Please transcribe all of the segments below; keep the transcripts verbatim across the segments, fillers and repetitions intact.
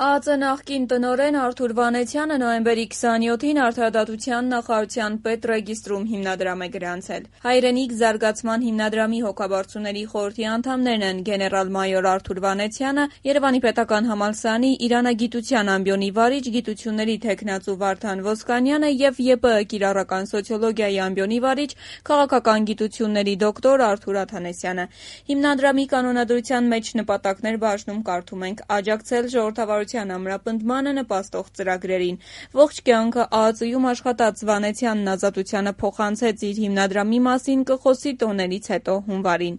ԱԱԾ նախկին տնօրեն Արթուր Վանեցյանը նոյեմբերի քսանյոթին Արդարադատության նախարարության պետռեգիստրում հիմնադրամ է գրանցել։ Հայրենիք զարգացման հիմնադրամի հոգաբարձուների խորհրդի անդամներն են գեներալ-մայոր Արթուր Վանեցյանը, Երևանի պետական համալսարանի իրանագիտության ամբիոնի վարիչ, գիտությունների թեկնածու Վարդան Ոսկանյանը և ԵՊԸ կիրառական սոցիոլոգիայի ամբիոնի վարիչ, քաղաքական գիտությունների դոկտոր Արթուր Աթանեսյանը։ Հիմնադրամի կանոնադրության մեջ նպատակներ բաժնում կարդում ենք՝ աջակցել ժողովրդավարության ամրապնդմանը նպաստող ծրագրերին։ Ողջ կյանքը ԱԱԾ-ում աշխատած Վանեցյանն Ազատությանը փոխանցեց իր հիմնադրամի մասին կխոսի տոներից հետո հունվարին։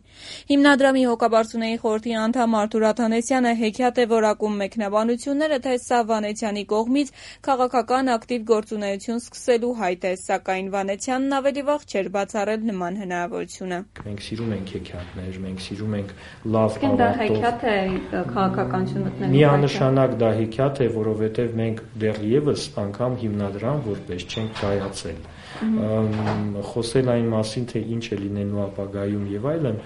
Հիմնադրամի հոգաբարձուների խորհրդի անդամ Արթուր Աթանեսյանը հեքիաթ է որակում մեկնաբանությունները, թե սա Վանեցյանի կողմից քաղաքական ակտիվ գործունեություն սկսելու հայտ է, սակայն Վանեցյանն ավելի վաղ չէր բացառել նման հնարավորությունը։ Մենք սիրում ենք հեքիաթներ, մենք սիրում ենք լավ ավարտող։ Դա հեքիաթ է քաղաքականություն մտնելու։ Միանշանակ դա հեքիաթ է, որովհետև մենք դեռևս անգամ հիմնադրամ որպես չենք կայացել։ Խոսել այն մասին, թե ինչ է լինելու ապագայում եւ այլն,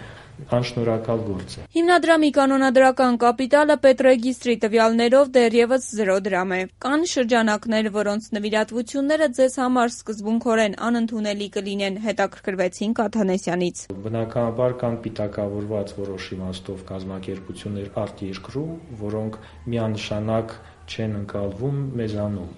անշնորհակալ գործ է։ Հիմնադրամի կանոնադրական կապիտալը պետռեգիստրի տվյալներով դեռևս զրո դրամ է։ Կան շրջանակներ, որոնց նվիրատվությունները ձեզ համար սկզբունքորեն անընդունելի կլինեն, հետաքրքրվեցինք Աթանեսյանից։ Բնականաբար կան պիտակավորված որոշ իմաստով կազմակերպություններ արտերկրում, որոնք միանշանակ չեն ընկալվում մեզանում։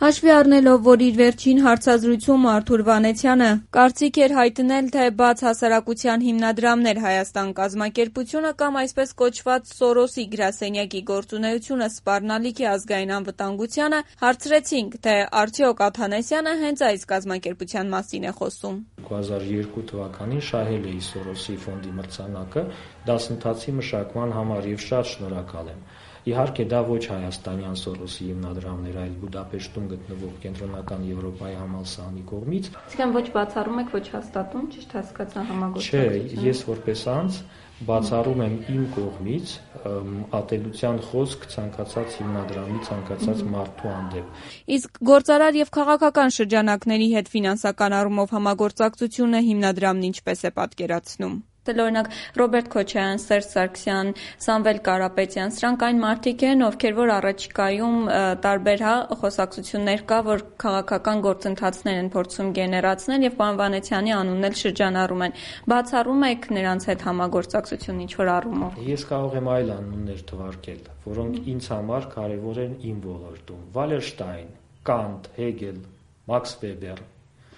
Հաշվի առնելով, որ իր վերջին հարցազրույցում Արթուր Վանեցյանը կարծիք էր հայտնել, թե բաց հասարակության հիմնադրամներ Հայաստան կազմակերպությունը կամ այսպես կոչված Սորոսի գրասենյակի գործունեությունը սպառնալիք է ազգային անվտանգությանը, հարցրեցինք, թե արդյոք Աթանեսյանը հենց այս կազմակերպության մասին է խոսում։ երկու հազար երկու թվականին շահել էի Սորոսի ֆոնդի մրցանակը դասընթացի մշակման համար եւ շատ շնորհակալ եմ։ Իհարկե դա ոչ հայաստանյան Սորոսի հիմնադրամներ, այլ Բուդապեշտում գտնվող Կենտրոնական Եվրոպայի համալսարանի կողմից։ Իսկական ոչ բացառում եք, ոչ հաստատում, ճիշտ հասկացա համագործակցությունը։ Չէ, ես որպես անձ բացառում եմ իմ կողմից ատելության խոսք ցանկացած հիմնադրամի, ցանկացած մարդու հանդեպ։ Իսկ գործարար եւ քաղաքական շրջանակների հետ ֆինանսական առումով համագործակցությունը հիմնադրամն ինչպես է պատկերացնում։ Օրինակ Ռոբերտ Քոչարյան, Սերժ Սարգսյան, Սամվել Կարապետյան, սրանք այն մարդիկ են, ովքեր որ առաջիկայում տարբեր հա խոսակցություններ կա, որ քաղաքական գործընթացներ են փորձում գեներացնել եւ պարոն Վանեցյանի անունն էլ շրջանառում են։ Բացառում եք նրանց հետ համագործակցություն ինչ որ առումով։ Ես կարող եմ այլ անուններ թվարկել, որոնք ինձ համար կարեւոր են իմ ոլորտում։ Վալերշտայն, Կանտ, Հեգել, Մաքս Վեբեր։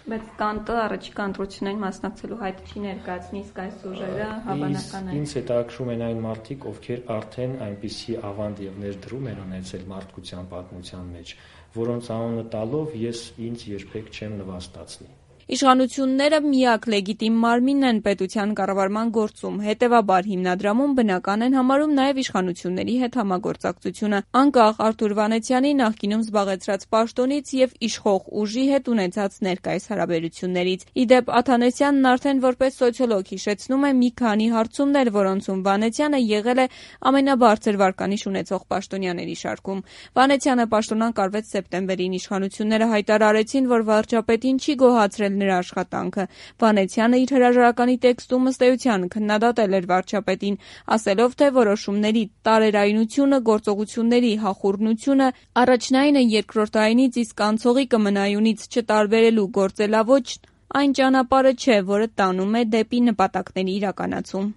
Բայց Կանտը առաջիկա ընտրություններին մասնակցելու հայտ չի ներկայացնի, իսկ այս ուժերը հավանական է։ Ինձ հետաքրքրում են այն մարդիկ, ովքեր արդեն այնպիսի ավանդ եւ ներդրում են ունեցել մարդկության պատմության մեջ, որոնց անունը տալով ես ինձ երբեք չեմ նվաստացնի։ Իշխանությունները միակ լեգիտիմ մարմինն են պետության կառավարման գործում, հետևաբար հիմնադրամում բնական են համարում նաև իշխանությունների հետ համագործակցությունը, անկախ Արթուր Վանեցյանի նախկինում զբաղեցրած պաշտոնից եւ իշխող ուժի հետ ունեցած ներկայիս հարաբերություններից։ Իդեպ Աթանեսյանն արդեն որպես սոցիոլոգ հիշեցնում է մի քանի հարցումներ, որոնցում Վանեցյանը եղել է ամենաբարձր վարկանիշ ունեցող պաշտոնյաների շարքում։ Վանեցյանը պաշտոնակրվեց սեպտեմբերին, իշխանությունները հայտարարեցին, որ վարչապետին չի գոհացրել նրա աշխատանքը։ Վանեցյանը իր հրաժարականի տեքստում ըստ էության քննադատել էր վարչապետին, ասելով, թե որոշումների տարերայնությունը, գործողությունների հախուռնությունը առաջնային է երկրորդայինից, իսկ անցողի կմնայունից չտարբերելու գործելաոճն այն ճանապարհը չէ, որը տանում է դեպի նպատակների իրականացում։